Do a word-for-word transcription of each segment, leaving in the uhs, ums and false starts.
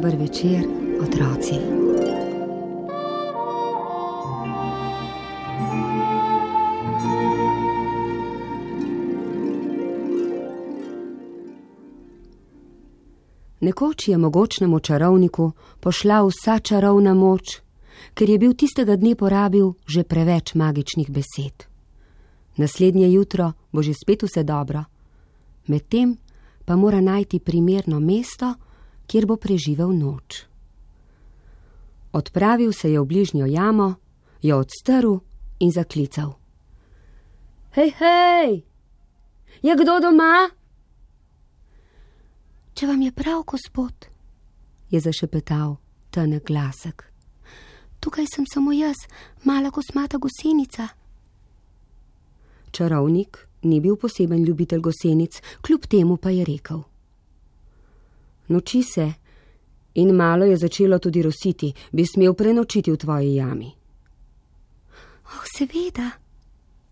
Dober večer, otroci. Nekoč je mogočnemu čarovniku pošla vsa čarovna moč, ker je bil tistega dne porabil že preveč magičnih besed. Naslednje jutro bo že spet vse dobro, medtem pa mora najti primerno mesto, kjer bo preživel noč. Odpravil se je v bližnjo jamo, jo odstrl in zaklical. Hej, hej, je kdo doma? Če vam je prav, gospod, je zašepetal tanek glasek. Tukaj sem samo jaz, mala kosmata gosenica. Čarovnik ni bil poseben ljubitelj gosenic, kljub temu pa je rekel. Noči se in malo je začelo tudi rositi, bi smel prenočiti v tvoji jami. Oh, seveda,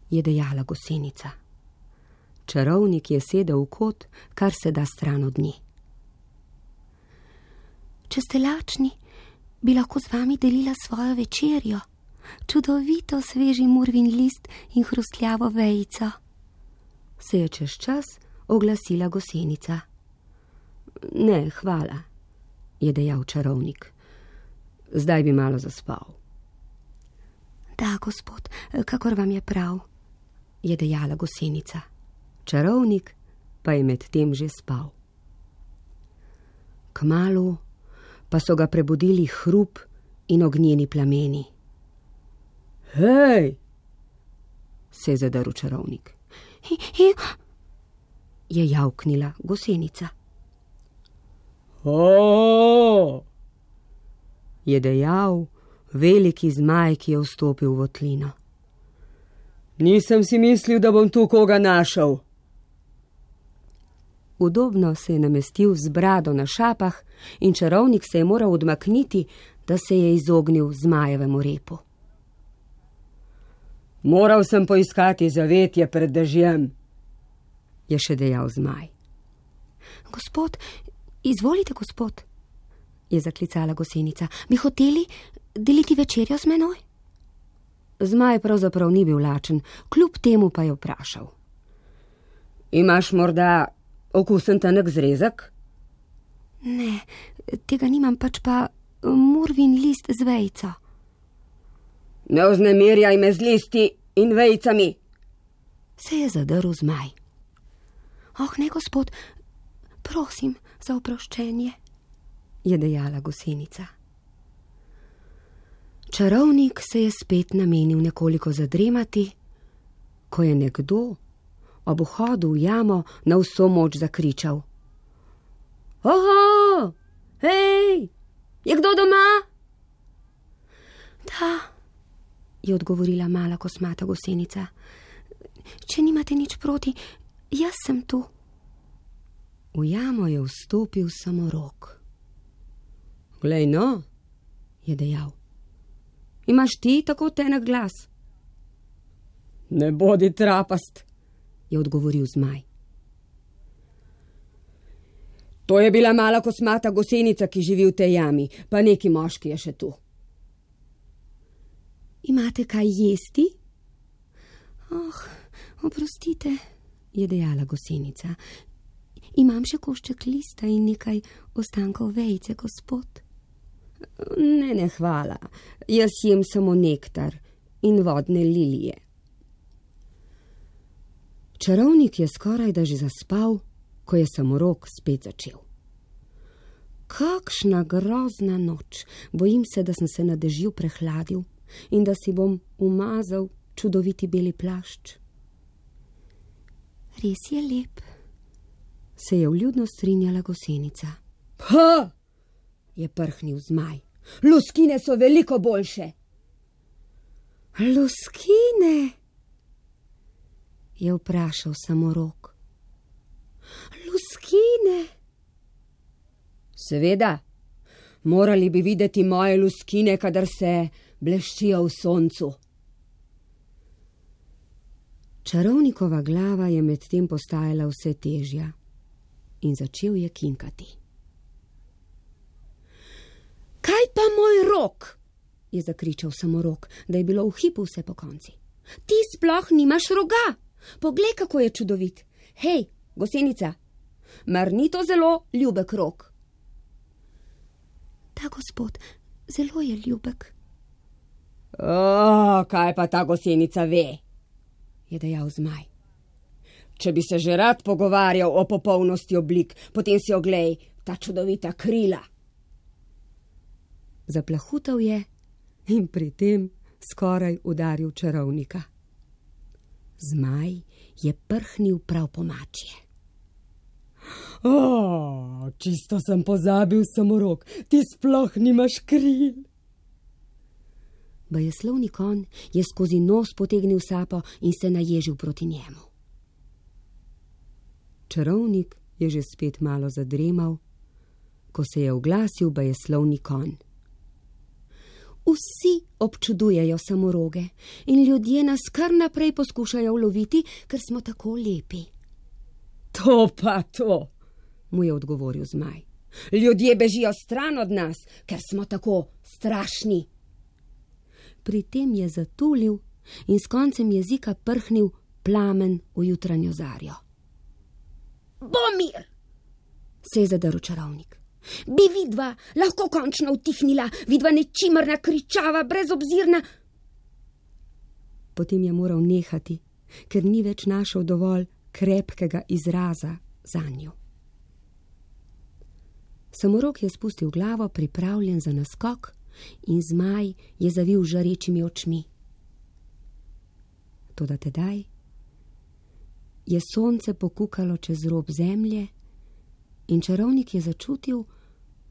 je dejala gosenica. Čarovnik je sedel v kot, kar se da stran od nje. Če ste lačni, bi lahko z vami delila svojo večerjo, čudovito sveži murvin list in hrustljavo vejico. Se je čez čas oglasila gosenica. Ne, hvala, je dejal čarovnik. Zdaj bi malo zaspal. Da, gospod, kakor vam je prav, je dejala gosenica. Čarovnik pa je med tem že spal. Kmalu pa so ga prebudili hrup in ognjeni plameni. Hej, se je zadrl čarovnik. Hi, hi, je javknila gosenica. O, je dejal veliki zmaj, ki je vstopil v votlino. Nisem si mislil, da bom tu koga našel. Udobno se je namestil z brado na šapah in čarovnik se je moral odmakniti, da se je izognil zmajevemu repu. Moral sem poiskati zavetje pred dežjem, je še dejal zmaj. Gospod, izvolite, gospod, je zaklicala gosenica. Bi hoteli deliti večerjo z menoj? Zmaj pravzaprav ni bil lačen, kljub temu pa je vprašal. Imaš morda okusen tanek zrezek? Ne, tega nimam, pač pa murvin list z vejico. Ne vznemirjaj me z listi in vejicami, se je zadrl zmaj. Oh, ne, gospod, prosim za oproščenje, je dejala gosenica. Čarovnik se je spet namenil nekoliko zadremati, ko je nekdo ob vhodu v jamo na vso moč zakričal. Oho, hej, je kdo doma? Da, je odgovorila mala kosmata gosenica. Če nimate nič proti, jaz sem tu. V jamo je vstopil samorok. Glej no, je dejal. Imaš ti tako tenek glas? Ne bodi trapast, je odgovoril zmaj. To je bila mala kosmata gosenica, ki živi v tej jami, pa neki moški je še tu. Imate kaj jesti? Oh, oprostite, je dejala gosenica. Imam še košček lista in nekaj ostankov vejice, gospod. Ne, ne, hvala. Jaz jem samo nektar in vodne lilije. Čarovnik je skoraj da že zaspal, ko je samorok spet začel. Kakšna grozna noč! Bojim se, da sem se na dežju prehladil in da si bom umazal čudoviti beli plašč. Res je lep, se je vljudno strinjala gosenica. Ha! Je prhnil zmaj. Luskine so veliko boljše. Luskine? Je vprašal samorok. Luskine? Seveda, morali bi videti moje luskine, kadar se bleščijo v soncu. Čarovnikova glava je medtem postajala vse težja in začel je kinkati. je zakričal Samorog, da je bilo v hipu vse po konci. Ti sploh nimaš roga! Poglej, kako je čudovit! Hej, Gosenica, mar ni to zelo ljubek rog? Da, gospod, zelo je ljubek. O, kaj pa ta Gosenica ve, je dejal zmaj. Če bi se že rad pogovarjal o popolnosti oblik, potem si oglej ta čudovita krila. Zaplahutal je in pri tem skoraj udaril čarovnika. Zmaj je prhnil prav po mačje. O, čisto sem pozabil, Samorog, ti sploh nimaš kril. Bajeslovni konj je skozi nos potegnil sapo in se naježil proti njemu. Čarovnik je že spet malo zadremal, ko se je oglasil bajeslovni konj. Vsi občudujejo Samoroge in ljudje nas kar naprej poskušajo uloviti, ker smo tako lepi. To pa to, mu je odgovoril zmaj. Ljudje bežijo stran od nas, ker smo tako strašni. Pri tem je zatulil in s koncem jezika prhnil plamen v jutranjo zarjo. Bomir, se je zadrl čarovnik. Bi vidva lahko končno utihnila, vidva nečimrna, kričava, brezobzirna. Potem je moral nehati, ker ni več našel dovolj krepkega izraza zanju. Samorog je spustil glavo, pripravljen za naskok, in zmaj je zavil žarečimi očmi. Toda tedaj je sonce pokukalo čez rob zemlje in čarovnik je začutil,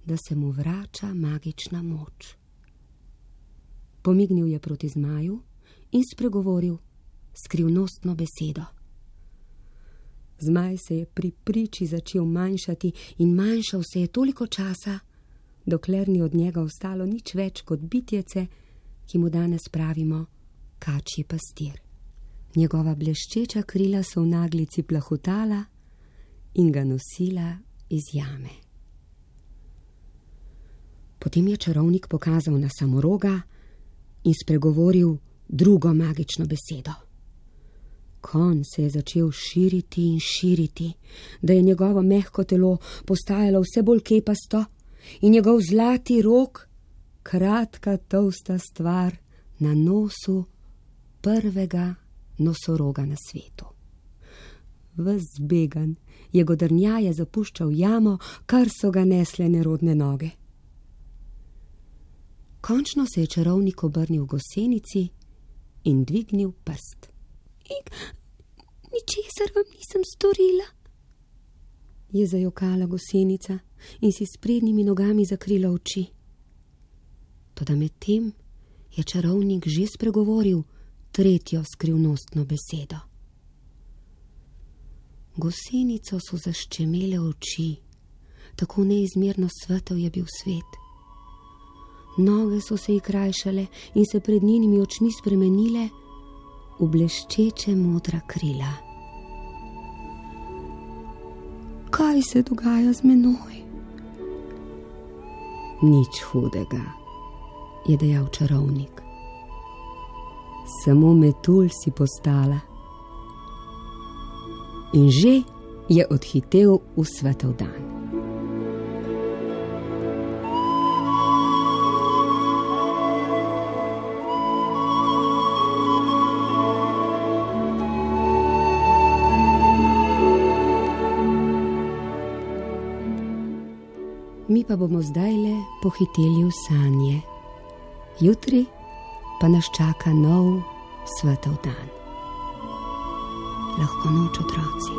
da se mu vrača magična moč. Pomignil je proti zmaju in spregovoril skrivnostno besedo. Zmaj se je pri priči začel manjšati in manjšal se je toliko časa, dokler ni od njega ostalo nič več kot bitjece, ki mu danes pravimo kačji pastir. Njegova bleščeča krila so v naglici plahutala in ga nosila iz jame. Potem je čarovnik pokazal na Samoroga in spregovoril drugo magično besedo. Konj se je začel širiti in širiti, da je njegovo mehko telo postajalo vse bolj kepasto in njegov zlati rog, kratka tolsta stvar na nosu prvega nosoroga na svetu. Ves zbegan je godrnjaje zapuščal jamo, kar so ga nesle nerodne noge. Končno se je čarovnik obrnil Gosenici in dvignil prst. Ik, ničesar vam nisem storila, je zajokala Gosenica in si s prednjimi nogami zakrila oči. Toda medtem je čarovnik že spregovoril tretjo skrivnostno besedo. Gosenico so zaščemele oči, tako neizmerno svetel je bil svet. Noge so se ji krajšale in se pred njenimi očmi spremenile v bleščeče modra krila. Kaj se dogaja z menoj? Nič hudega, je dejal čarovnik. Samo metulj si postala. In že je odhitel v svetel dan. Mi pa bomo zdajle pohiteli v sanje. Jutri pa nas čaka nov svetel dan. Lahko noč, otroci.